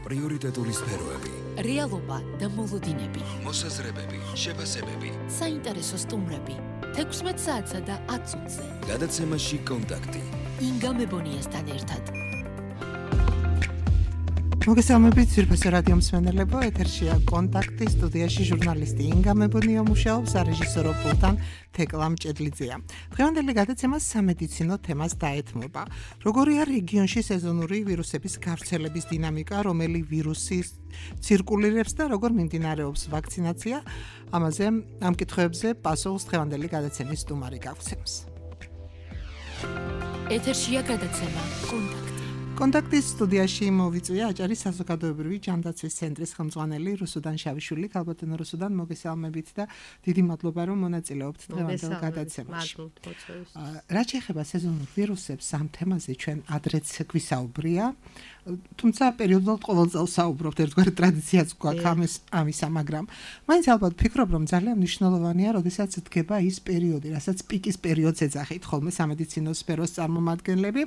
პრიორიტეტული სფეროები, რეალობა და მოლოდინები, მოსაზრებები, შეფასებები, საინტერესო სტუმრები, 16 საათსა და 10 წუთზე. გადაცემაში კონტაქტი. ინგა მებონიასთან ერთად. მოგესალმებით ძვირფასო რადიო მსმენელებო, ეთერშია კონტაქტი, სტუდიაში ჟურნალისტი ინგა მებონია მუშაობს, რეჟისორო პულტან თეკლა მჭედლიძეა. დღევანდელი გადაცემა სამედიცინო თემას დაეთმობა. როგორია რეგიონში სეზონური ვირუსების გავრცელების დინამიკა, რომელი ვირუსი ცირკულირებს და როგორ მიმდინარეობს ვაქცინაცია, ამაზე ამ კითხვებზე პასუხს დღევანდელი გადაცემის სტუმარი გაგცემს. ეთერშია გადაცემა კონტაქტი. კონტაქტის სტუდიაში მოვიწვია აჭარის საზოგადოებრივი ჯანდაცვის ცენტრის ხელმძღვანელი რუსუდან შავიშვილი. ქალბატონო რუსუდან, მოგესალმებით და დიდი მადლობა რომ მონაწილეობთ დღევანდელ გადაცემაში. რაც შეეხება სეზონურ ვირუსებს, ამ თემაზე ჩვენ ადრეც გვისაუბრია, თუმცა პერიოდულად ყოველ წელს საუბრობთ, ერთგვარი ტრადიციაც გვაქვს ამისა, მაგრამ მაინც ალბათ ფიქრობ, რომ ძალიან მნიშვნელოვანია, როდესაც დგება ის პერიოდი, რასაც პიკის პერიოდს ეძახით ხოლმე სამედიცინო სფეროს წარმომადგენლები.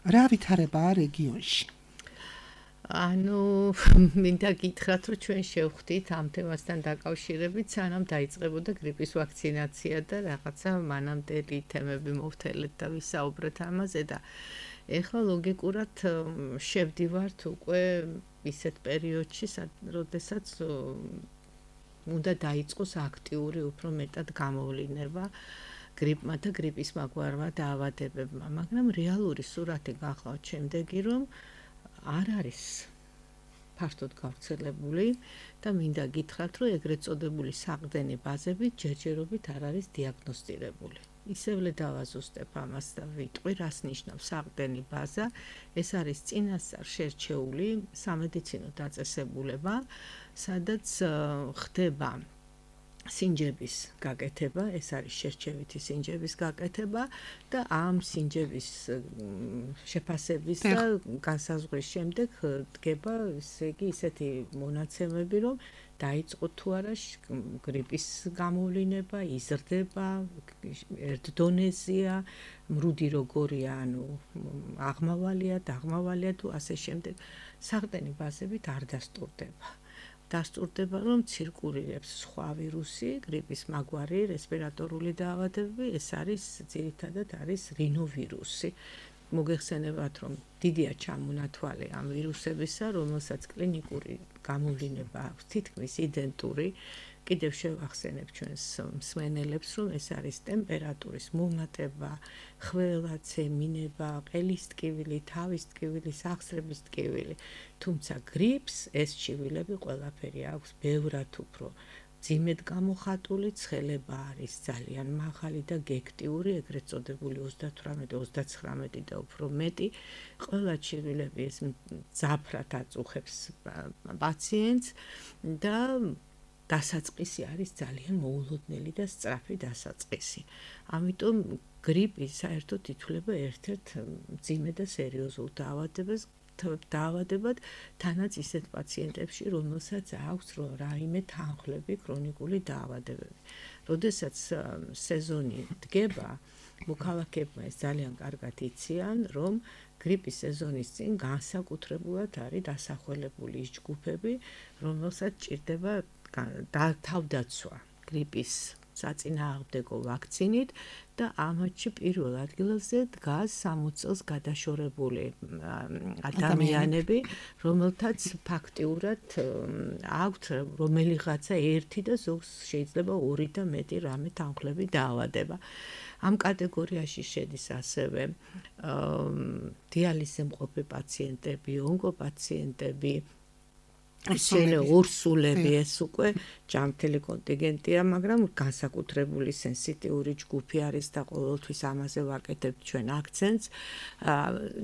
რა ვითარებაა რეგიონში? მინდა გითხრათ, რომ ჩვენ შევხვდით ამ თემასთან დაკავშირებით, სანამ დაიწყებოდა გრიპის ვაქცინაცია და რაღაცა მანამდელი თემები მოვთელეთ და ვისაუბრეთ ამაზე და ეხლა ლოგიკურად შევდივართ უკვე ისეთ პერიოდში, როდესაც უნდა დაიწყოს აქტიური უფრო მეტად გამოვლინება გრიპმა და გრიპის მაგვარმა დაავადებებმა, მაგრამ რეალური სურათი გახლავთ შემდეგი, რომ არ არის ფართოდ გავრცელებული და მინდა გითხრათ, რომ ეგრეთ წოდებული საყრდენი ბაზები ჯერჯერობით არ არის დიაგნოსტირებული. ისევლე დავაზუსტებ ამას და ვიტყვი, რას ნიშნავს საყრდენი ბაზა. ეს არის წინასწარ შერჩეული სამედიცინო დაწესებულება, სადაც ხდება სინჯების გაკეთება, ეს არის შერჩევითი სინჯების გაკეთება და ამ სინჯების შეფასების და განსაზღვრის შემდეგ დგება, ესე იგი, ისეთი მონაცემები, რომ დაიწყო თუ არა გრიპის გამოვლინება, იზრდება, ერთ დონეზეა, მრუდი როგორია, აღმავალია თუ ასე შემდეგ. საყრდენი ბაზებით არ დასტურდება. დასტურდება, რომ ცირკულირებს სხვა ვირუსი, გრიპის მაგვარი, რესპირატორული დაავადებები, ეს არის ძირითადად არის რინოვირუსი. მოგეხსენებათ, რომ დიდია ჩამონათვალი ამ ვირუსებისა, რომელსაც კლინიკური გამოვლინება აქვს თითქმის იდენტური. კიდევ შევახსენებ ჩვენს მსმენელებს, რომ ეს არის ტემპერატურის მომატება, ხველა, ცემინება, ყელის ტკივილი, თავის ტკივილი, სახსრების ტკივილი. თუმცა გრიპს ეს ჩივილები ყველაფერი აქვს ბევრად უფრო ძიმედ გამოხატული, ცხელება არის ძალიან მაღალი და გექტიური, ეგრეთ წოდებული 38-39 და უფრო მეტი. ყველა ჩივილები ეს ძაფრად აწუხებს პაციენტს და დასაწყისი არის ძალიან მოულოდნელი და სწრაფი დასაწყისი. ამიტომ გრიპი საერთოდ ითვლება ერთ-ერთ მძიმე და სერიოზულ დაავადებად, თანაც ისეთ პაციენტებში, რომელსაც აქვს რაიმე თანხლები, ქრონიკული დაავადებები. როდესაც სეზონი დგება, მოქალაქეებმა ეს ძალიან კარგად იციან, რომ გრიპის სეზონის წინ განსაკუთრებულად არის დასახველებული ის ჯგუფები, რომელსაც ჭირდება თავდაცვა გრიპის საწინააღმდეგო ვაქცინით და ამათში პირველ ადგილზე დგას 60 წელს გადაშორებული ადამიანები, რომელთაც ფაქტიურად აქვთ რომელიღაცა ერთი და ზოგს შეიძლება ორი და მეტი რამე თანხლები დაავადება. ამ კატეგორიაში შედის ასევე დიალიზზე მყოფი პაციენტები, ონკოპაციენტები, ორსულები, ეს უკვე ჯანმრთელი კონტინგენტია, მაგრამ განსაკუთრებული სენსიტიური ჯგუფი არის და ყოველთვის ამაზე ვაკეთებთ ჩვენ აქცენტს.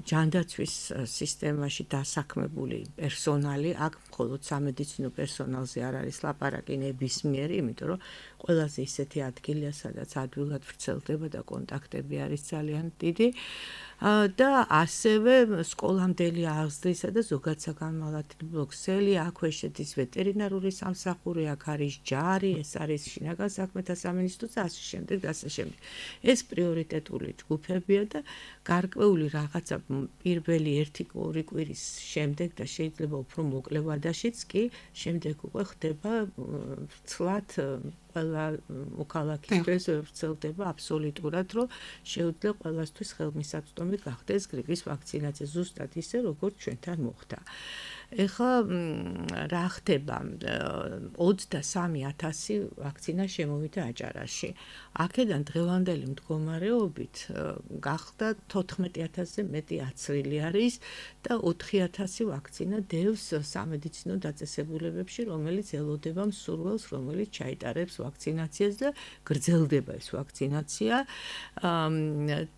ჯანდაცვის სისტემაში დასაქმებული პერსონალი, აქ მხოლოდ სამედიცინო პერსონალზე არ არის ლაპარაკი ნებისმიერი, იმიტომ რომ ყველაზე ისეთი ადგილია, სადაც ადვილად ვრცელდება და კონტაქტები არის ძალიან დიდი. და ასევე სკოლამდელი აღზრდისა და ზოგადსაგანმანათლებლო ქსელი, აქვე შედის ვეტერინარული სამსახური, აქ არის ჯარი, ეს არის შინაგან საქმეთა სამინისტრო და ასე შემდეგ და ასე შემდეგ. ეს პრიორიტეტული ჯგუფებია და გარკვეული რაღაცა პირველი 1-2 კვირის შემდეგ და შეიძლება უფრო მოკლე ვადაშიც კი შემდეგ უკვე ხდება ცლად ყველა მოქალაქისთვის ვრცელდება აბსოლუტურად, რომ შეუძლია ყველასთვის ხელმისაწვდომი გახდეს გრიპის ვაქცინაცია ზუსტად ისე, როგორც ჩვენთან მოხდა. ეხლა რა ხდება 23,000 ვაქცინა შემოვიდა აჭარაში. აქედან დღევანდელი მდგომარეობით გახდა 14,000-ზე მეტი აცრილი არის და 4,000 ვაქცინა დევს სამედიცინო დაწესებულებებში, რომელიც ელოდება მსურველს, რომელიც ჩაიტარებს ვაქცინაციას და გრძელდება ეს ვაქცინაცია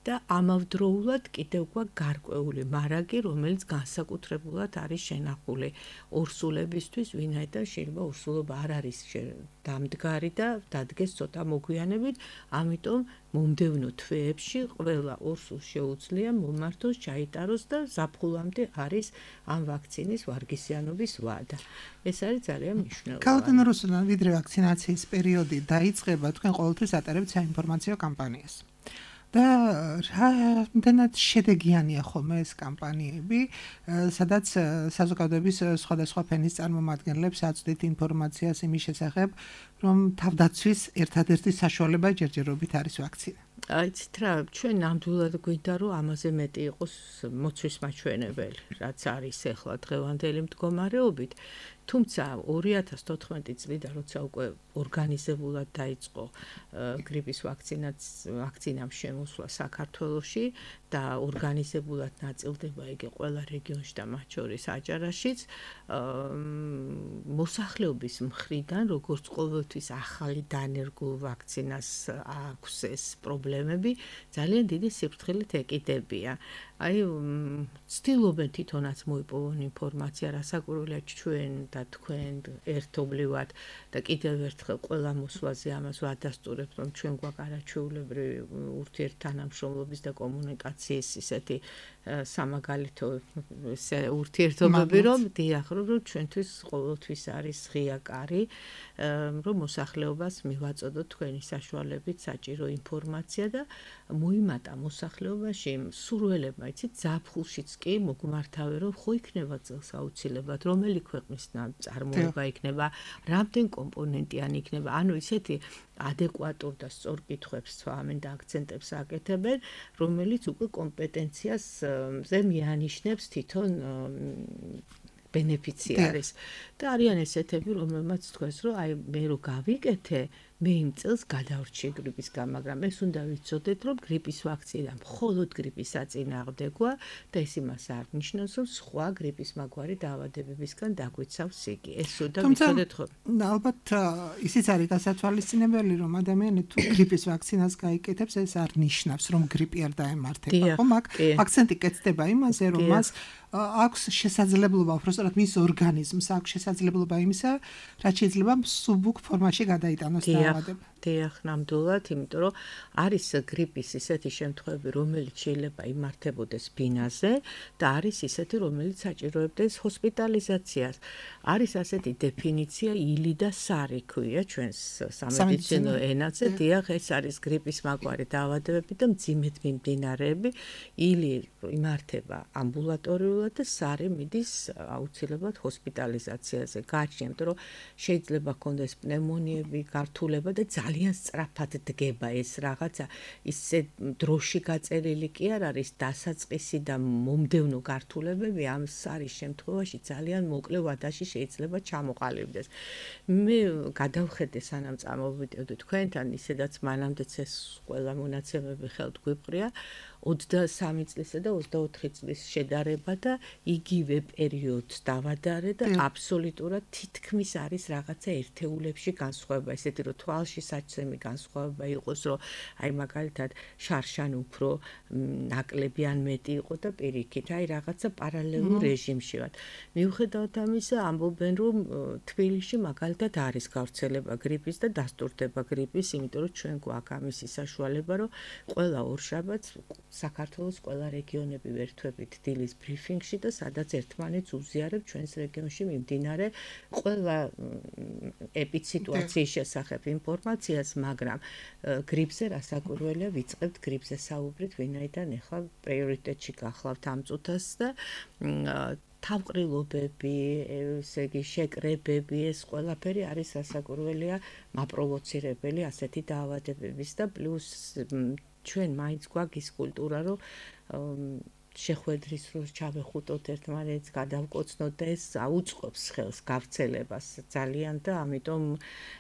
და ამავდროულად კიდევ გარკვეული მარაგი, რომელიც განსაკუთრებულად არის შენახული ორსულებისთვის, ვინაიდან შეიძლება ორსულობა არ არის დამდგარი და დადგეს ცოტა მოგვიანებით, ამიტომ მომდევნო თვეებში ყველა ორსულს შეუძლია მომართოს, ჩაიტაროს და ზაფხულამდე არის ამ ვაქცინის ვარგისიანობის ვადა. ეს არის ძალიან მნიშვნელოვანი. ქალბატონო რუსუდან, ვიდრე ვაქცინაციის პერიოდი დაიწყება, თქვენ ყოველთვის ატარებთ საინფორმაციო კამპანიას. და რამდენად შედეგიანია ხოლმე ეს კამპანიები, სადაც საზოგადოების სხვადასხვა ფენის წარმომადგენლებს აწვდით ინფორმაციას იმის შესახებ, რომ თავდაცვის ერთადერთი საშუალება ჯერჯერობით არის ვაქცინა. აიცით რა, ჩვენ ნამდვილად გვინდა, რომ ამაზე მეტი იყოს მოცვის მაჩვენებელი, რაც არის ახლა დღევანდელი მდგომარეობით. თუმცა 2014 წლიდან, როცა უკვე ორგანიზებულად დაიწყო გრიპის ვაქცინამ შემოსვლა საქართველოში და ორგანიზებულად ნაწილდება იგი ყველა რეგიონში და მათ შორის აჭარაშიც, მოსახლეობის მხრიდან, როგორც ყოველთვის ახალი დანერგულ ვაქცინას აქვს ეს პრობლემები, ძალიან დიდი სიფრთხილით ეკიდებიან. აი, ცდილობენ თვითონაც მოიპოვონ ინფორმაცია, რასაკვირველია ჩვენ და თქვენ ერთობლივად და კიდევ ერთხელ ყველა მოსვლაზე ამას ვადასტურებთ, რომ ჩვენ გვაქვს არაჩვეულებრივი ურთიერთთანამშრომლობის და კომუნიკაციის ისეთი სამაგალითო ურთიერთობები, რომ დიახ, რომ ჩვენთვის ყოველთვის არის ღია კარი, რომ მოსახლეობას მივაწოდოთ თქვენი საშუალებით საჭირო ინფორმაცია და მოიმატა მოსახლეობაში სურველებმა, იცით, ზაფხულშიც კი მოგმართავე, რომ ხო იქნება წელს აუცილებლად, რომელი ქვეყნის წარმოება იქნება, რამდენ კომპონენტიანი იქნება, ანუ ისეთი ადეკვატურ და სწორ კითხვებს ცვამენ და აქცენტებს აკეთებენ, რომელიც უკვე კომპეტენციაზე მიანიშნებს თვითონ ბენეფიციარის. და არიან ესეთები, რომელმაც თქვენს, რომ აი მე რო გავიკეთე, მე იმ წელს გადავრჩი გრიპისგან, მაგრამ ეს უნდა ვიცოდეთ, რომ გრიპის ვაქცინა მხოლოდ გრიპის საწინააღმდეგოა და ეს იმას არ ნიშნავს, რომ სხვა გრიპის მაგვარი დაავადებებისგან დაგვიცავს იგი. ეს უნდა ვიცოდეთ ხო? ალბათ ისიც არის გასათვალისწინებელი, რომ ადამიანი თუ გრიპის ვაქცინას გაიკეთებს, ეს არ ნიშნავს, რომ გრიპი არ დაემართება. ხო, მაგ აქცენტი კეთდება იმაზე, რომ მას აქვს შესაძლებლობა, უბრალოდ მის ორგანიზმს აქვს შესაძლებლობა იმისა, რაც შეიძლება მსუბუქ ფორმაში გადაიტანოს დაავადება. დიახ, ნამდვილად, იმიტომ რომ არის გრიპის ისეთი შემთხვევები, რომელიც შეიძლება იმართებოდეს ბინაზე და არის ისეთი, რომელიც საჭიროებდეს ჰოსპიტალიზაციას. არის ასეთი დეფინიცია ილი და სარი ქვია ჩვენს სამედიცინო ენაზე. დიახ, ეს არის გრიპის მაგვარი დაავადებები და მძიმედ მიმდინარეები. ილი იმართება ამბულატორიულად და სარი მიდის აუცილებლად ჰოსპიტალიზაციაზე. გააჩნია, იმიტომ რომ შეიძლება ქონდეს პნევმონიები, გართულება და ძალიან სწრაფად დგება ეს რაღაცა, ისე დროში გაწერილი კი არ არის დასაწყისი და მომდევნო გართულებები ამ სარის შემთხვევაში ძალიან მოკლე ვადაში შეიძლება ჩამოყალიბდეს. მე გადავხედე სანამ წამოვიდოდი თქვენთან, ისედაც მანამდეც ეს ყველა მონაცემები ხელთ გვიპყრია, 23 წლისა და 24 წლის შედარება და იგივე პერიოდს დავადარე და აბსოლუტურად თითქმის არის რაღაცა ერთეულებში განსხვავება, ესეთი რომ თვალში საჩემი განსხვავება იყოს, რომ აი მაგალითად შარშან უფრო ნაკლები ან მეტი იყო და პირიქით, აი რაღაცა პარალელურ რეჟიმში ვართ. მიუხედავად ამისა, ამბობენ რომ თბილისში მაგალითად არის გავრცელება გრიპის და დასტურდება გრიპის, იმიტომ რომ ჩვენ გვაქვს ამისი საშუალება, რომ ყველა ორშაბათს საქართველოს ყველა რეგიონები ვერთვებით დილის ბრიფინგში და სადაც ერთმანეთს უზიარებ ჩვენს რეგიონში მიმდინარე ყველა ეპიციტუაციის შესახებ ინფორმაციას, მაგრამ გრიპზე რასაკვირველია ვიწყებთ გრიპზე საუბრით, ვინაიდან ახლა პრიორიტეტში გახლავთ ამ წუთას და თავყრილობები, ესე იგი შეკრებები, ეს ყველაფერი არის რასაკვირველია მაპროვოცირებელი ასეთი დაავადებების და პლუს ჩვენ მაინც გვაქვს ის კულტურა, რომ შეხვედრის დროს ჩავეხუტოთ ერთმანეთს, გადავკოცნოთ და ეს აუწყობს ხელს გავრცელებას ძალიან და ამიტომ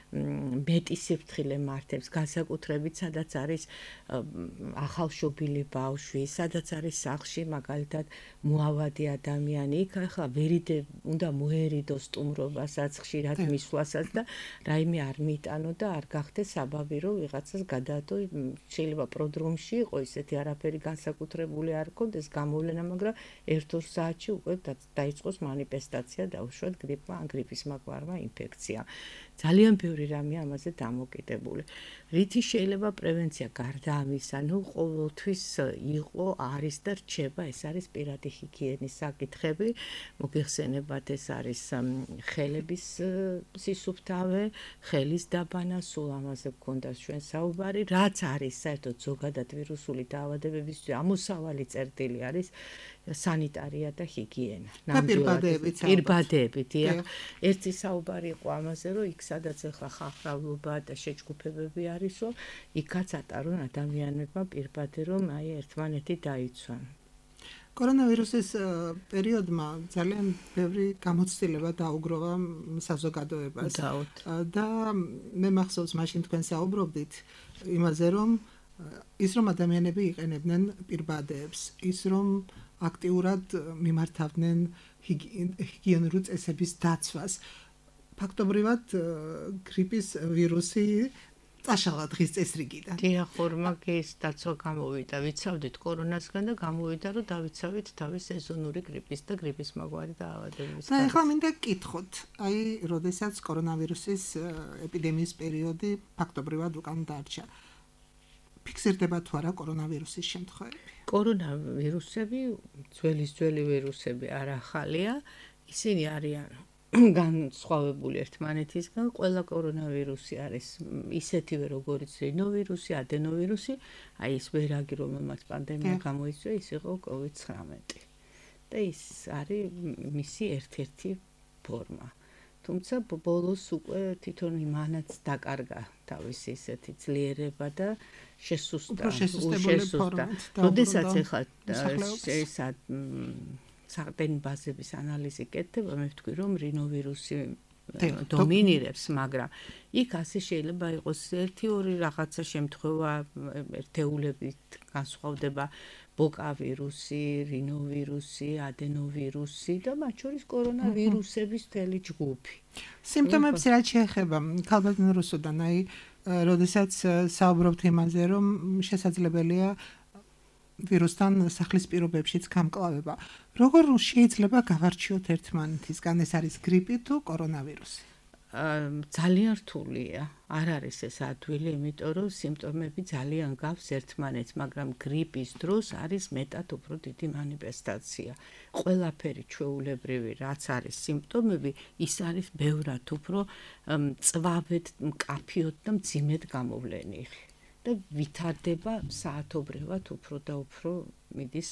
მეტი სიფრთხილე მართებს, განსაკუთრებით სადაც არის ახალშობილი ბავშვი, სადაც არის სახლში მაგალითად მოავადი ადამიანი, იქ ახლა უნდა მოერიდოს სტუმრობასაც, ხშირად მისვლასაც და რაიმე არ მიიტანო და არ გახდეს საბაბი, რომ ვიღაცას გადაადო, შეიძლება პროდრომში იყო ისეთი არაფერი განსაკუთრებული არ ქონდეს გამოვლენა, მაგრამ 1-2 საათში უკვე დაიწყოს მანიფესტაცია, დაუშვათ გრიპმა ან გრიპის მაგვარმა ინფექცია. ძალიან ბევრი რამე ამაზე დამოკიდებული. რითი შეიძლება პრევენცია გარდა ამისა, ყოველთვის იყო, არის და რჩება, ეს არის პირადი ჰიგიენის საკითხები. მოგეხსენებათ, ეს არის ხელების სისუფთავე, ხელის დაბანა, სულ ამაზე გქონდა ჩვენ საუბარი, რაც არის საერთოდ ზოგადად ვირუსული დაავადებებისთვის ამოსავალი წერტილი არის სანიტარია და ჰიგიენა. პირბადეებით, ერთი საუბარი იყო ამაზე, რომ იქ სადაც ახლა ხალხმრავლობა და შეჯგუფებები არისო, იქაც ატარონ ადამიანებმა პირბადე, რომ აი ერთმანეთი დაიცვან. კორონავირუსის პერიოდმა ძალიან ბევრი გამოცდილება დაუგროვა საზოგადოებას და მე მახსოვს მაშინ თქვენ საუბრობდით იმაზე, რომ ის რომ ადამიანები იყენებდნენ პირბადეებს, ის რომ აქტიურად მიმართავდნენ ჰიგიენური წესების დაცვას. ფაქტობრივად გრიპის ვირუსი წაშალა დღის წესრიგიდან. დიახ, მაგის დაცვა გამოვიდა, ვიცავდით კორონასგან და გამოვიდა, რომ დავიცავით თავის სეზონური გრიპის და გრიპის მაგვარი დაავადებების. და ახლა მინდა გკითხოთ, აი, როდესაც კორონავირუსის ეპიდემიის პერიოდი ფაქტობრივად უკან დარჩა. ფიქსირდება თუ არა კორონავირუსის შემთხვევები? კორონავირუსები, ძველი ვირუსები არ ახალია, ისინი არიან განსხვავებული ერთმანეთისგან, ყველა კორონავირუსი არის ისეთივე როგორც რინოვირუსი, ადენოვირუსი, აი ეს ვერაგი რომელმაც პანდემია გამოიწვია, ის იყო COVID-19. და ის არის მისი ერთ-ერთი ფორმა. თუმცა ბოლოს უკვე თვითონ იმანაც დაკარგა თავისი ისეთი ძლიერება და შესუსტა. როდესაც ახლა ესა საყრდენი ბაზების ანალიზი კეთდება, მე ვთქვი, რომ რინოვირუსი დომინირებს, მაგრამ იქ ასე შეიძლება იყოს 1-2 რაღაცა შემთხვევა ერთეულებით განსხვავდება ბოკა ვირუსი, რინოვირუსი, ადენოვირუსი და მათ შორის კორონავირუსების მთელი ჯგუფი. სიმპტომებს რაც შეეხება ქალბატონ რუსუდან, აი, როდესაც საუბრობთ იმაზე, რომ შესაძლებელია ვირუსთან სახლის პირობებშიც გამკლავება. როგორ შეიძლება გავარჩიოთ ერთმანეთისგან, ეს არის გრიპი თუ კორონავირუსი? ძალიან რთულია. არ არის ეს ადვილი, იმიტომ რომ სიმპტომები ძალიან გავს ერთმანეთს, მაგრამ გრიპის დროს არის მეტად უფრო დიდი მანიფესტაცია. ყველაფერი ჩვეულებრივი, რაც არის სიმპტომები, ის არის ბევრად უფრო მწვავედ, მკაფიოდ და მძიმედ გამოვლენილი. და ვითარდება საათობრივად უფრო და უფრო მიდის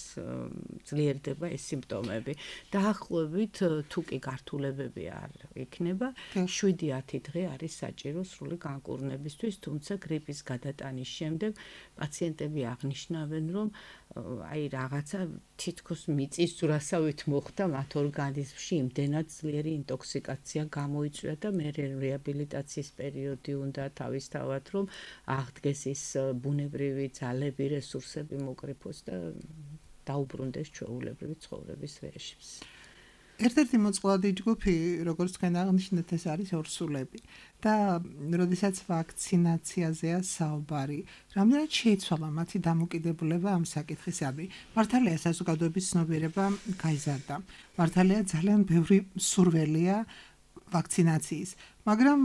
ძლიერდება ეს სიმპტომები. დაახლოებით თუ კი გართულებები არ იქნება, 7-10 დღე არის საჭირო სრული განკურნებისთვის, თუმცა გრიპის გადატანის შემდეგ პაციენტები აღნიშნავენ, რომ აი რაღაცა თითქოს მიწის ძვრასავით მოხდა მათ ორგანიზმში იმდენად ძლიერი ინტოქსიკაცია გამოიწვია და მე რეაბილიტაციის პერიოდი უნდა თავისთავად რომ აღდგეს ის ბუნებრივი ძალები, რესურსები მოკრიფოს და დაუბრუნდეს ჩვეულებრივი ცხოვრების რეჟიმს. ერთ-ერთი მოწყვლადი ჯგუფი, როგორც თქვენ აღნიშნეთ, ეს არის ორსულები და როდესაც ვაქცინაციაზეა საუბარი, რამდენად შეიცვალა მათი დამოკიდებულება ამ საკითხისადმი. მართალია საზოგადოების ცნობიერება გაიზარდა. მართალია ძალიან ბევრი სურველია ვაქცინაციის, მაგრამ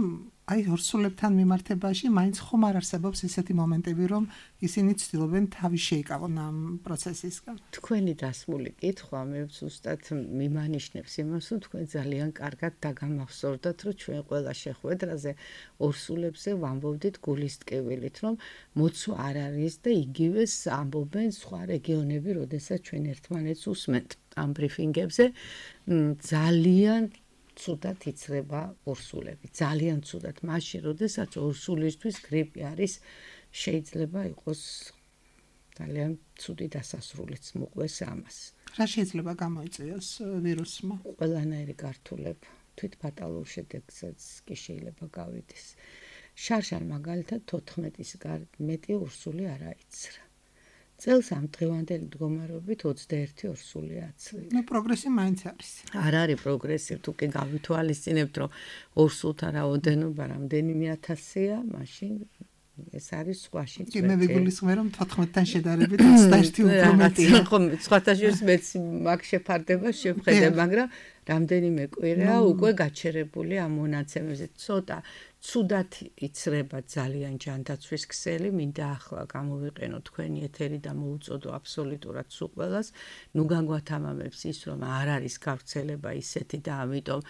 აი ორსულებთან მიმართებაში მაინც ხომ არ არსებობს ესეთი მომენტები, რომ ისინი ცდილობენ თავი შეიკავონ ამ პროცესისგან. თქვენი დასმული კითხვა მე ზუსტად მიმანიშნებს იმას, რომ თქვენ ძალიან კარგად დაგამახსოვრდათ, რომ ჩვენ ყველა შეხვედრაზე ორსულებზე ვამბობდით გულისტკივილით, რომ მოცვა არ არის და იგივეს ამბობენ სხვა რეგიონები, როდესაც ჩვენ ერთმანეთს უსმენთ ამ ბრიფინგებზე, ძალიან ცუდად იცრება ორსულები. ძალიან ცუდად. მაშინ, როდესაც ორსულისთვის გრიპი არის, შეიძლება იყოს ძალიან ცუდი დასასრულიც მოყვეს ამას. რა შეიძლება გამოიწვიოს ვირუსმა? ყველანაირი გართულება, თვითფატალურ შედეგსაც კი შეიძლება გავიდეს. შარშან მაგალითად 14-ის მეტი ორსული არ აიცრა. წელს ამ დღევანდელი მდგომარეობით 21 ორსული აცრილა. ნუ პროგრესი მაინც არის. არ არის პროგრესი, თუ კი გავითვალისწინებთ, რომ ორსულთა რაოდენობა რამდენიმე ათასია, მაშინ ეს არის სხვაში. კი მე ვიგულისხმე, რომ 14-თან შედარებით 21 უფრო მეტია. ხო, სხვათა შორის მეც მაგ შეფარდება შევხედე, მაგრამ რამდენიმე კვირაა უკვე გაჩერებული ამ მონაცემებზე. ცოტა ცუდად იცრება ძალიან ჯანდაცვის ქსელი, მინდა ახლა გამოვიყენო თქვენი ეთერი და მოუწოდო აბსოლუტურად სულ ყველას. ნუ გაგვათამამებს ის, რომ არ არის გავრცელება ისეთი და ამიტომ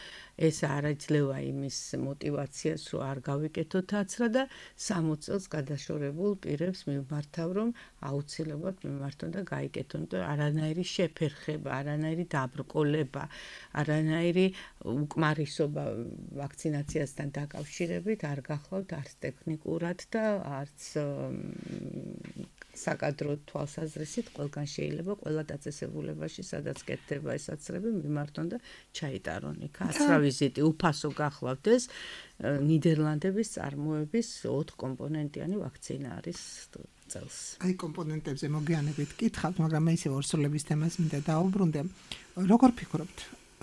ეს არ იძლევა იმის мотиваციას, რომ არ გავიკეთოთ აცრა და 60 წელს გადაშორებულ პირებს მიმართავ, რომ აუცილებლად მიმართონ და გაიკეთონ და არანაირი შეფერხება, არანაირი დაბრკოლება, არანაირი უკმარისობა ვაქცინაციასთან დაკავშირებით არ გახლავთ არც ტექნიკურად და არც საკადრო თვალსაზრისით ყველგან შეიძლება ყველა დაწესებულებაში, სადაც კეთდება ეს აცრები, მიმართონ და ჩაიტარონ იქ. აცრა ვიზიტი უფასო გახლავდეს. ნიდერლანდების წარმოების 4 კომპონენტიანი ვაქცინა არის წელს. აი კომპონენტებზე მოგვიანებით კითხავთ, მაგრამ მე ისე ორსულების თემას მინდა დავუბრუნდე. როგორ ფიქრობთ,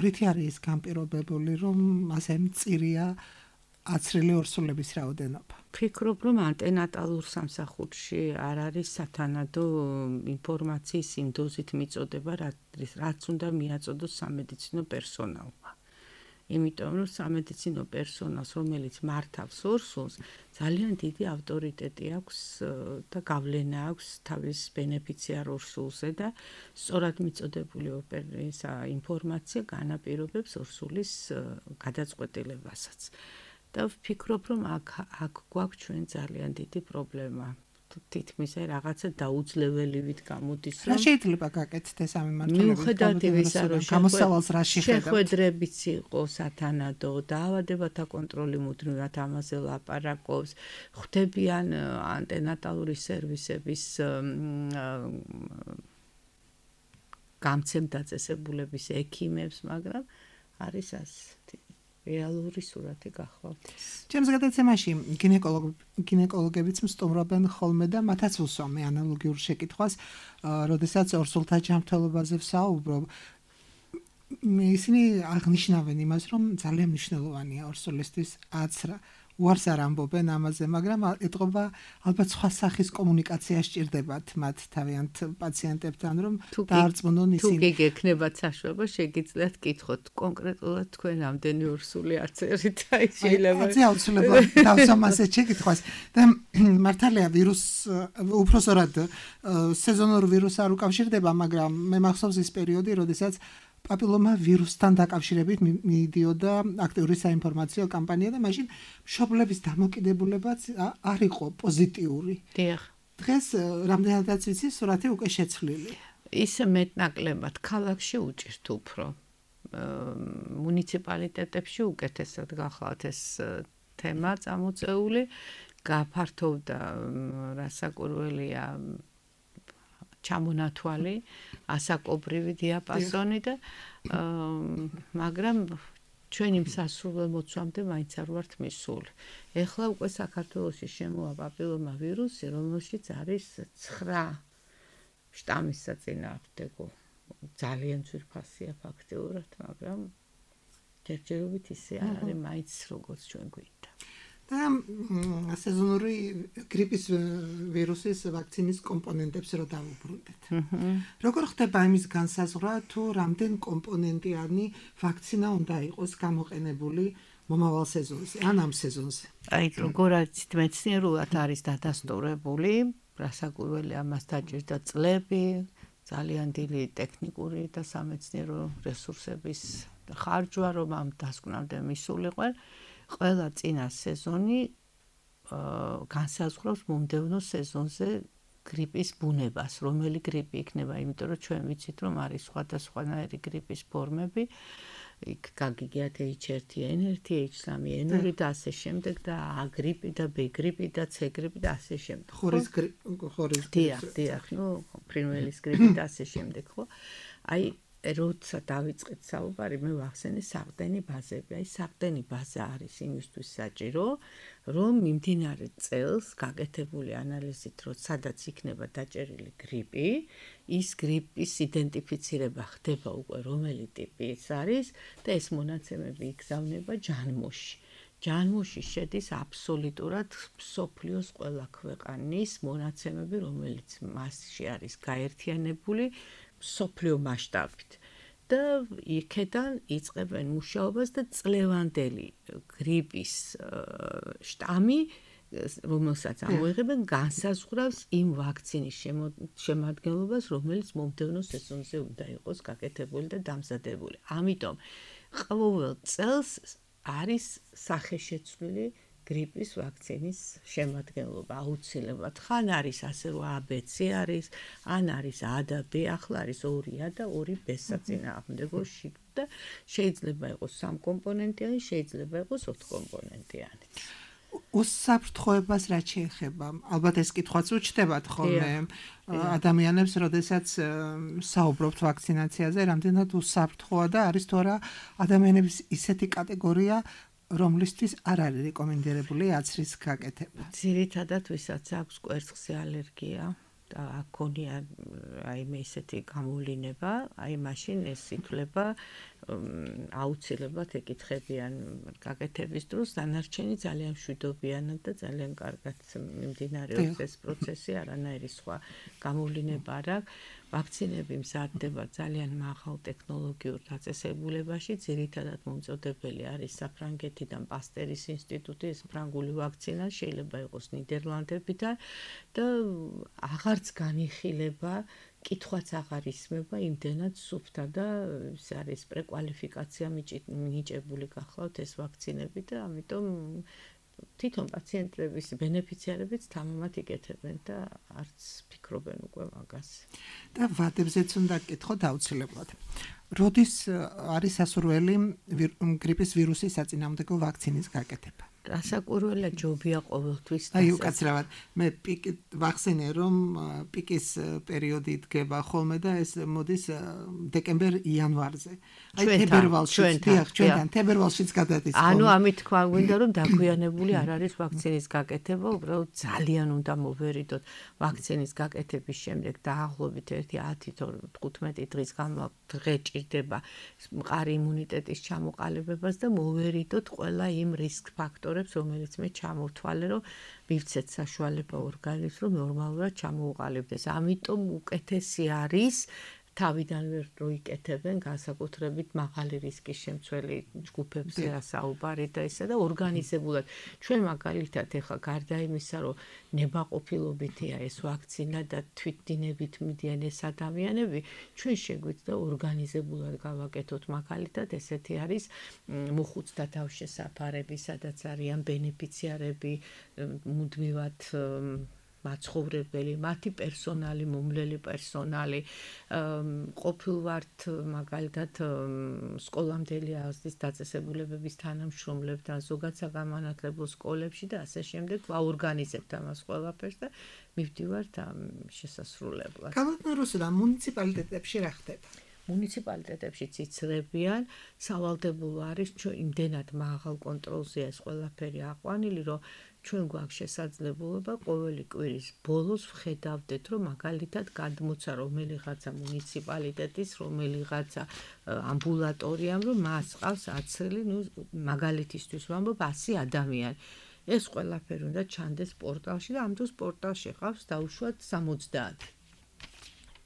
რითი არის ის განპირობებული, რომ ასე მწირია აცრილი ორსულების რაოდენობა? ფიქრობ, რომ ანტენატალურ სამსახურში არ არის სათანადო ინფორმაციის იმ დოზით მიწოდება, რაც უნდა მიაწოდოს სამედიცინო პერსონალმა. იმიტომ რომ სამედიცინო პერსონალს, რომელიც მართავს ორსულს, ძალიან დიდი ავტორიტეტი აქვს და გავლენა აქვს თავის ბენეფიციარ ორსულზე და სწორად მიწოდებული ინფორმაცია განაპირობებს ორსულის გადაწყვეტილებასაც. და ვფიქრობ, რომ აქ გვაქვს ჩვენ ძალიან დიდი პრობლემა. თითქმის რაღაცა დაუძლეველივით გამოდის, რა შეიძლება გაკეთდეს ეს ამ მიმართულებით? მიუხედავად იმისა, რომ გამოსავალს რა შეხედავთ? შეხვედრებიც იყო სათანადო, დაავადებათა კონტროლი მუდმივად ამაზე ლაპარაკობს, ხვდებიან ანტენატალური სერვისების გამცემ დაწესებულების ექიმებს, მაგრამ არის ასეთი რეალური სურათი გახლავთ. ჩემს გადაცემაში გინეკოლოგებიც მსტუმრობენ ხოლმე და მათაც უსვამე ანალოგიურ შეკითხვას, როდესაც ორსულთა ჯანმრთელობაზე ვსაუბრობ. ისინი აღნიშნავენ იმას, რომ ძალიან მნიშვნელოვანია ორსულისთვის აცრა. უარს არ ამბობენ ამაზე, მაგრამ ეტყობა ალბათ სხვა სახის კომუნიკაცია სჭირდებათ მათ თავიანთ პაციენტებთან, რომ დაარწმუნონ ისინი. თუ გექნებათ საშუალება, შეგიძლიათ კითხოთ კონკრეტულად თქვენ რამდენი ორსული აწერით, აი შეიძლება. აი აუცილებლად დავსვამ ასეთ შეკითხვას. და მართალია უпроსორად სეზონურ ვირუსს არ უკავშირდება, მაგრამ მე მახსოვს ის პერიოდი, როდესაც პაპილომა ვირუსთან დაკავშირებით მიდიოდა აქტიური საინფორმაციო კამპანია და მაშინ მშობლების დამოკიდებულებაც არ იყო პოზიტიური. დიახ. დღეს რამდენადაც ვიცი, სურათი უკვე შეცვლილი. ისე მეტნაკლებად ქალაქში უჭირთ უფრო. მუნიციპალიტეტებში უკეთესად გახლავთ ეს თემა წამოწეული, გაფართოვდა რასაკურველია ჩამონათვალი, ასაკობრივი დიაპაზონი და მაგრამ ჩვენი მსასრულო მოცვამდე მაინც არ ვართ მისული. ეხლა უკვე საქართველოში შემოვა პაპილომა ვირუსი, რომელშიც არის 9 შტამის საწინააღმდეგო. ძალიან ძვირფასია ფაქტიურად, მაგრამ ჯერჯერობით ისე არ არის მაინც როგორც ჩვენ გვინდა. და სეზონური გრიპის ვირუსის ვაქცინის კომპონენტებს რო დავუბრუნდეთ. როგორ ხდება იმის განსაზღვრა თუ რამდენ კომპონენტიანი ვაქცინა უნდა იყოს გამოყენებული მომავალ სეზონზე ან ამ სეზონზე? აი როგორაც მეცნიერულად არის დადასტურებული, რასაკვირველი ამას დაჭირდა წლები, ძალიან დიდი ტექნიკური და სამეცნიერო რესურსების ხარჯვა, რომ ამ დასკვნამდე მისულიყო. ყველა წინა სეზონი განსაზღვრავს მომდევნო სეზონზე გრიპის ბუნებას, რომელი გრიპი იქნება, იმიტომ რომ ჩვენ ვიცით, რომ არის სხვადასხვანაირი გრიპის ფორმები, იქ გაგიგიათ H1N1, H3N2 და ასე შემდეგ და A გრიპი და B გრიპი და C გრიპი და ასე შემდეგ. ხორის დიახ, ფრინველის გრიპი და ასე შემდეგ, ხო? აი როცა დავიწყეთ საუბარი, მე ვახსენე საყდენი ბაზები. აი საყდენი ბაზა არის იმისთვის საჭირო, რომ მიმდინარე წელს გაკეთებული ანალიზით, რომ სადაც იქნება დაჭერილი გრიპი, ის გრიპის იდენტიფიცირება ხდება უკვე რომელი ტიპი ის არის და ეს მონაცემები იგზავნება ჯანმოში. ჯანმოში შედის აბსოლუტურად მსოფლიოს ყველა ქვეყანის მონაცემები, რომელიც მასში არის გაერთიანებული მსოფლიო მასშტაბით და იქედან იწყებენ მუშაობას და წლევანდელი გრიპის შტამი, რომელსაც ამოიღებენ, განსაზღვრავს იმ ვაქცინის შემადგენლობას, რომელიც მომდევნო სეზონზე უნდა იყოს გაკეთებული და დამზადებული. ამიტომ ყოველ წელს არის სახეშეცვლილი გრიპის ვაქცინის შემადგენლობა აუცილებლად. ხან არის ასე რომ ABC არის, ან არის A და B, ახლა არის 2A და 2B საწინააღმდეგო და შეიძლება იყოს 3 კომპონენტიანი, შეიძლება იყოს 4 კომპონენტიანი. უსაფრთხოებას რაც შეეხება, ალბათ ეს კითხვაც უჩნდებათ ხოლმე ადამიანებს, როდესაც საუბრობთ ვაქცინაციაზე, რამდენად უსაფრთხოა და არის თუ არა ადამიანების ისეთი კატეგორია, რომლისთვის არ არის რეკომენდირებული აცრის გაკეთება. ძირითადად ვისაც აქვს კვერცხზე ალერგია და აქონია რაიმე ისეთი გამოვლინება, აი მაშინ ეს ითვლება აუცილებლად ეკითხებიან გაკეთების დროს, დანარჩენი ძალიან მშვიდობიანად და ძალიან კარგად მიმდინარეობს ეს პროცესი, არანაირი სხვა გამოვლინება არ აქვს. ვაქცინები მზადდება ძალიან მაღალ ტექნოლოგიურ დაწესებულებაში, ძირითადად მომწოდებელი არის საფრანგეთიდან პასტერის ინსტიტუტი, ეს ფრანგული ვაქცინა, შეიძლება იყოს ნიდერლანდებიდან და აღარც განიხილება, კითხვაც აღარ ისმება იმდენად სუფთა და ეს არის პრეკვალიფიკაცია მინიჭებული გახლავთ ეს ვაქცინები და ამიტომ თვითონ პაციენტების ბენეფიციარებიც თამამად იკეთებენ და არც ფიქრობენ უკვე მაგას. და ვადებზეც უნდა გკითხოთ აუცილებლად. როდის არის სასურველი გრიპის ვირუსის საწინააღმდეგო ვაქცინის გაკეთება? რასაკვირველია ჯობია ყოველთვის. აი უკაცრავად, მე ვახსენე რომ პიკის პერიოდი დგება ხოლმე და ეს მოდის დეკემბერ-იანვარზე. აი ჩვენთან თებერვალშიც გადადის. ანუ ამით თქვა გვინდა რომ დაგვიანებული არ არის ვაქცინის გაკეთება, უბრალოდ ძალიან უნდა მოვერიდოთ ვაქცინის გაკეთების შემდეგ დაახლოებით 10-15 დღის განმავლობაში ჭირდება მყარი იმუნიტეტის ჩამოყალიბებას და მოვერიდოთ ყველა იმ რისკ ფაქტორებს, რომელიც მე ჩამოვთვალე, რომ მივცეთ საშუალება ორგანიზმს, რომ ნორმალურად ჩამოუყალიბდეს. ამიტომ უკეთესი არის თავიდანვე რო იკეთებენ განსაკუთრებით მაღალი რისკის შემცველი ჯგუფებზე საუბარი და ისე და ორგანიზებულად. ჩვენ მაგალითად ეხლა გარდა იმისა, რომ ნებაყოფილობითია ეს ვაქცინა და თვითდინებით მიდიან ეს ადამიანები, ჩვენ შეგვიძლია ორგანიზებულად გავაკეთოთ მაგალითად ესეთი არის მოხუცთა თავშესაფარები, სადაც არიან ბენეფიციარები მუდმივად მაცხოვრებელი, მათი პერსონალი, მომვლელი პერსონალი, ყოფილვართ მაგალითად სკოლამდელი აღზრდის დაწესებულებების თანამშრომლებთან, ზოგად საგანმანათლებლო სკოლებში და ასე შემდეგ ვაორგანიზებთ ამას ყველაფერს და მივდივართ ამ შესასრულებლად. ქალბატონ რუსუდან მუნიციპალიტეტებში რა ხდება? მუნიციპალიტეტებშიც იცრებიან, სავალდებულო არის იმდენად მაღალ კონტროლზეა ეს ყველაფერი აყვანილი, რომ ჩვენ გვაქვს შესაძლებლობა ყოველი კვირის ბოლოს ვხედავდეთ, რომ მაგალითად გადმოცა რომელიღაცა მუნიციპალიტეტის, რომელიღაცა ამბულატორიამ, რომ მას ყავს აცრილი, მაგალითისთვის ვამბობ 100 ადამიანი. ეს ყველაფერი უნდა ჩანდეს პორტალში და ამ დროს პორტალში ყავს დაუშვათ 70.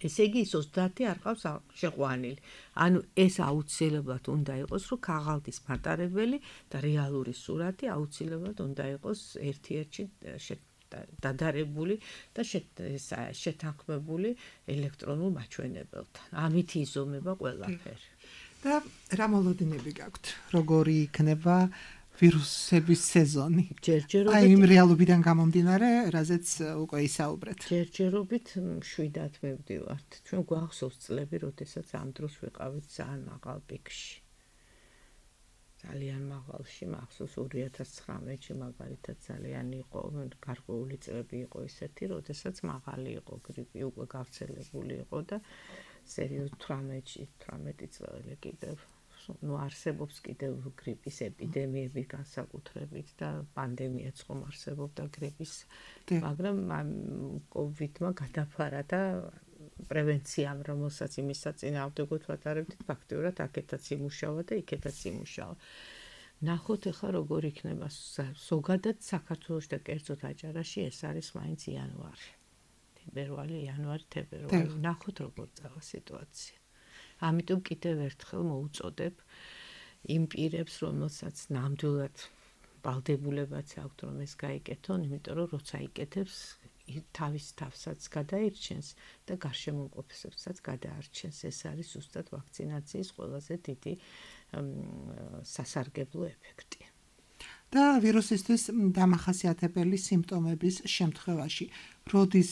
ესე იგი 30 არ ყავს შეყვანილი. ანუ ეს აუცილებლად უნდა იყოს, რომ ქაღალდის მატარებელი და რეალური სურათი აუცილებლად უნდა იყოს ერთ-ერთში დადარებული და შეთანხმებული ელექტრონულ მაჩვენებელთან. ამით იზომება ყველაფერი. და რა მოლოდინები გაქვთ? როგორი იქნება ვირუსების სეზონი? აი იმ რეალობიდან გამომდინარე, რაზეც უკვე ისაუბრეთ. ჯერჯერობით შვიდად მივდივართ. ჩვენ გვახსოვს წლები, როდესაც ამ დროს ვიყავით ძალიან მაღალ პიკში. ძალიან მაღალში, მახსოვს 2019-ში მაგალითად ძალიან იყო, გარკვეული წლები იყო ისეთი, როდესაც მაღალი იყო გრიპი, უკვე გავრცელებული იყო და სერიოზ 18 წელი კიდევ არსებობს კიდევ გრიპის ეპიდემიები განსაკუთრებით და პანდემიაც ხომ არსებობდა გრიპის, მაგრამ კოვიდმა გადაფარა და პრევენციამ, რომელსაც იმის საწინააღმდეგოდ ვატარებდით, ფაქტიურად აქეთაც იმუშავა და იქეთაც იმუშავა. ნახოთ ახლა როგორ იქნება ზოგადად საქართველოში და კერძოდ აჭარაში ეს არის მაინც იანვარი. თებერვალი. ნახოთ როგორ წავა სიტუაცია. ამიტომ კიდევ ერთხელ მოუწოდებ იმ პირებს, რომელსაც ნამდვილად ვალდებულებაც აქვთ, რომ ეს გაიკეთონ, იმიტომ რომ როცა იკეთებს, თავის თავსაც გადაირჩენს და გარშემოყოფებსაც გადაარჩენს. ეს არის ზუსტად ვაქცინაციის ყველაზე დიდი სასარგებლო ეფექტი. და ვირუსისთვის დამახასიათებელი სიმპტომების შემთხვევაში, როდის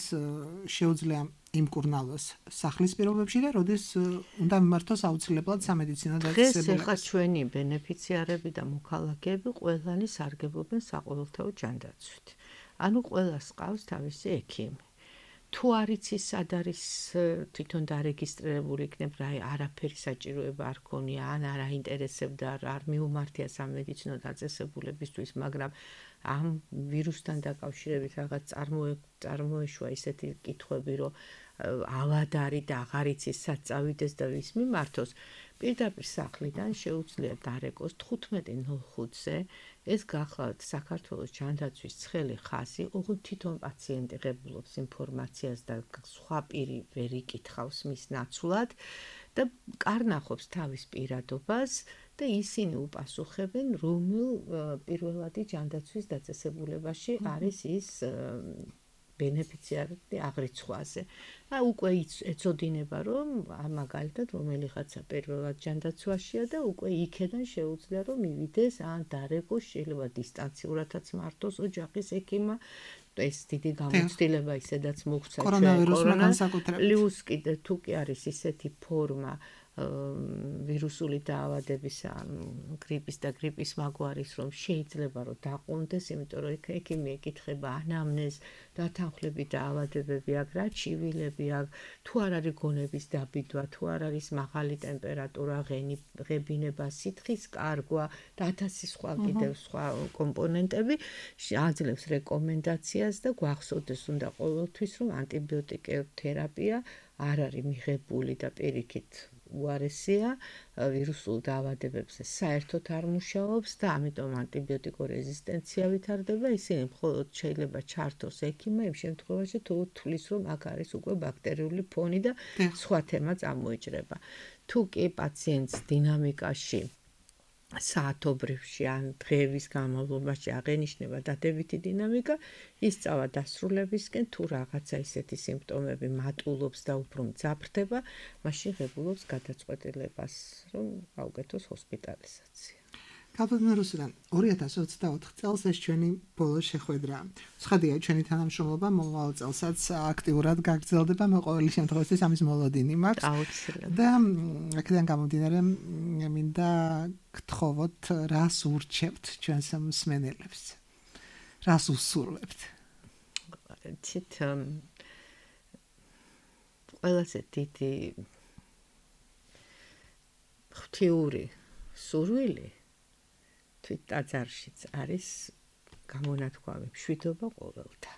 შეუძლია იმკურნალოს სახლის პირობებში და როდის უნდა მიმართოს აუცილებლად სამედიცინო დაწესებულებას? დღეს ახლა ჩვენი ბენეფიციარები და მოქალაქეები ყველანი სარგებლობენ საყოველთაო ჯანდაცვით. ანუ ყველას ყავს თავისი ექიმი. თუ არ იცის სად არის თვითონ დარეგისტრირებული იქნებ რა არაფერი საჭიროება არ ქონია ან არ აინტერესებდა არ მიუმართია სამედიცინო დაწესებულებისთვის, მაგრამ ამ ვირუსთან დაკავშირებით რაღაც წარმოეშვა ისეთი კითხვები, რომ ავადარი და აღარ იცის სად წავიდეს და ვის მიმართოს, პირდაპირ სახლიდან შეუძლია დარეკოს 15:05-ზე ეს გახლავთ საქართველოს ჯანდაცვის ცხელი ხაზი, ოღონდ თვითონ პაციენტი ღებულობს ინფორმაციას და სხვა პირი ვერ იკითხავს მის ნაცვლად და კარნახობს თავის პირადობას და ისინი უპასუხებენ, რომელ პირველადი ჯანდაცვის დაწესებულებაში არის ის ბენეფიციარი აღრიცხვაზე. უკვე ეწოდინება, რომ მაგალითად რომელიღაცა პირველად ჯანდაცვაშია და უკვე იქედან შეუძლია რომ მივიდეს ან დარეკოს, შეიძლება დისტანციურადაც მართოს ოჯახის ექიმმა. ეს დიდი გამოცდილება ისედაც მოგვცა კორონავირუსმა განსაკუთრებით. პლუს კიდე თუ კი არის ისეთი ფორმა ვირუსული დაავადების გრიპის და გრიპის მაგვარის, რომ შეიძლება რომ დაყუნდეს, იმიტომ რომ ექიმი ეკითხება ანამნეზ, დათანხმლები დაავადებები აქვს, რა ჩივილები აქვს, თუ არ არის გონების დაბიდვა, თუ არ არის მაღალი ტემპერატურა, ღებინება, სითხის კარგვა და 1000 სხვა კიდევ სხვა კომპონენტები, აძლევს რეკომენდაციას და გვახსოვდეს უნდა ყოველთვის, რომ ანტიბიოტიკოთერაპია არ არის მიღებული და პირიქით უარესია ვირუსულ დაავადებებზე საერთოდ არ მუშაობს და ამიტომ ანტიბიოტიკო რეზისტენცია ვითარდება, ისინი მხოლოდ შეიძლება ჩართოს ექიმმა იმ შემთხვევაში თუ თulis რომ აქ არის უკვე ბაქტერიული ფონი და სხვა თემა წამოიჭრება. თუ კი პაციენტს დინამიკაში საათობრივში ან დღეების განმავლობაში აღენიშნება დადებითი დინამიკა, ის წავა დასრულებისკენ, თუ რაღაცა ისეთი სიმპტომები მატულობს და უფრო მძაფრდება, მაშინ ღებულობს გადაწყვეტილებას, რომ გაუკეთოს ჰოსპიტალიზაცია. ქალბატონო რუსუდან 2024 წელს ეს ჩვენი ბოლო შეხვედრა. ცხადია, ჩვენი თანამშრომლობა მომავალ წელსაც აქტიურად გაგრძელდება, მე ყოველი შემთხვევაში ამის მოლოდინი მაქვს. აუცილებლად. და აქედან გამომდინარე მინდა გთხოვოთ, რას ურჩევთ ჩვენს მსმენელებს? რას უსურვებთ? ცით ყველაზე დიდი ღვთიური სურვილი თვით ტაძარშიც არის გამონათქვამი მშვიდობა ყოველთა.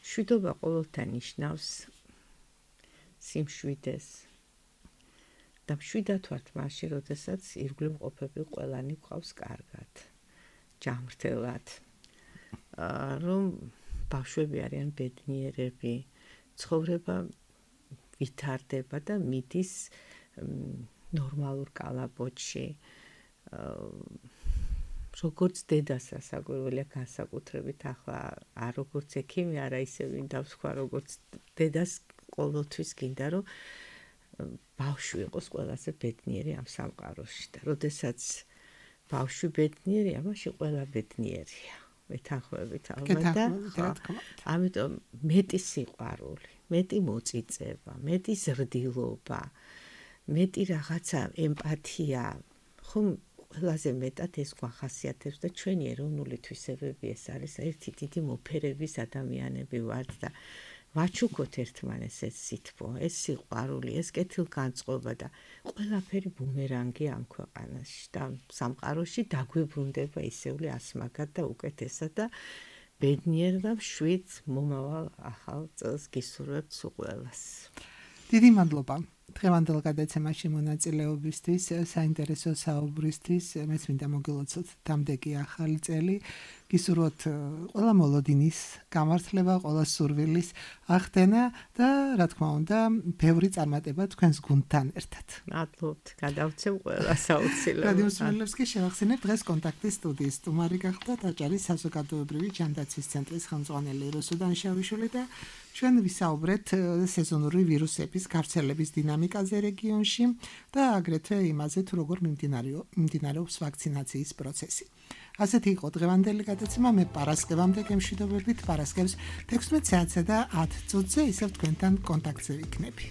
მშვიდობა ყოველთა ნიშნავს სიმშვიდეს და მშვიდად ვართ მაშინ, როდესაც ირგვლივ მყოფები ყველანი გვყავს კარგად, ჯანმრთელად, რომ ბავშვები არიან ბედნიერები, ცხოვრება ვითარდება და მიდის ნორმალურ კალაპოტში. როგორც დედას ასაგვირველია განსაკუთრებით ახლა არ როგორც ექიმი, არა ისე მინდა ვთქვა, როგორც დედას ყოველთვის გინდა, რომ ბავშვი იყოს ყველაზე ბედნიერი ამ სამყაროში და როდესაც ბავშვი ბედნიერია, მაშინ ყველა ბედნიერია. მეთანხმებით ალბათ და ამიტომ მეტი სიყვარული, მეტი მოწიწება, მეტი ზრდილობა, მეტი რაღაცა ემპათია, ხომ ყველაზე მეტად ეს გვახასიათებს და ჩვენი ეროვნული თვისებები ეს არის ერთი დიდი მოფერების ადამიანები ვართ და ვაჩუქოთ ერთმანეს ეს სითბო, ეს სიყვარული, ეს კეთილგანწყობა და ყველაფერი ბუმერანგი ამ ქვეყანაში და სამყაროში დაგვიბრუნდება ისეული ასმაგად და უკეთესად და ბედნიერ და მშვიდ მომავალ ახალ წელს გისურვებთ ყველას. დიდი მადლობა დღევანდელ გადაცემაში მონაწილეობისთვის, საინტერესო საუბრისთვის. მეც მინდა მოგილოცოთ დამდეგი ახალი წელი. გისურვოთ ყველა მოლოდინის გამართლება, ყველა სურვილის ახდენა და რა თქმა უნდა, ბევრი წარმატება თქვენს გუნდთან ერთად. მადლობთ, გადავცემ ყველას აუცილებლად. რადიო მსმენელებს კი შევახსენებ, დღეს კონტაქტის სტუდიის სტუმარი გახდა ტაჭარის საზოგადოებრივი ჯანდაცვის ცენტრის ხელმძღვანელი რუსუდან შავიშვილი და ჩვენ ვისაუბრეთ სეზონური ვირუსების გავრცელების დინამიკაზე რეგიონში და აგრეთვე იმაზე, თუ როგორ მიმდინარეობს ვაქცინაციის პროცესი. ასეთი იყო დღევანდელი გადაცემა. მე პარასკევამდე გემშვიდობებით, პარასკევს 16 საათსა და 10 წუთზე ისევ თქვენთან კონტაქტზე ვიქნები.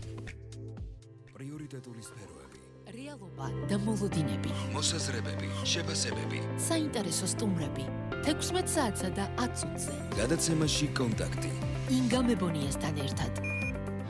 პრიორიტეტული სფეროები, რეალობა და მოლოდინები, მოსაზრებები, შეფასებები. საინტერესო სტუმრები 16 საათსა და 10 წუთზე. გადაცემაში კონტაქტი. ინგა მებონიასთან ერთად.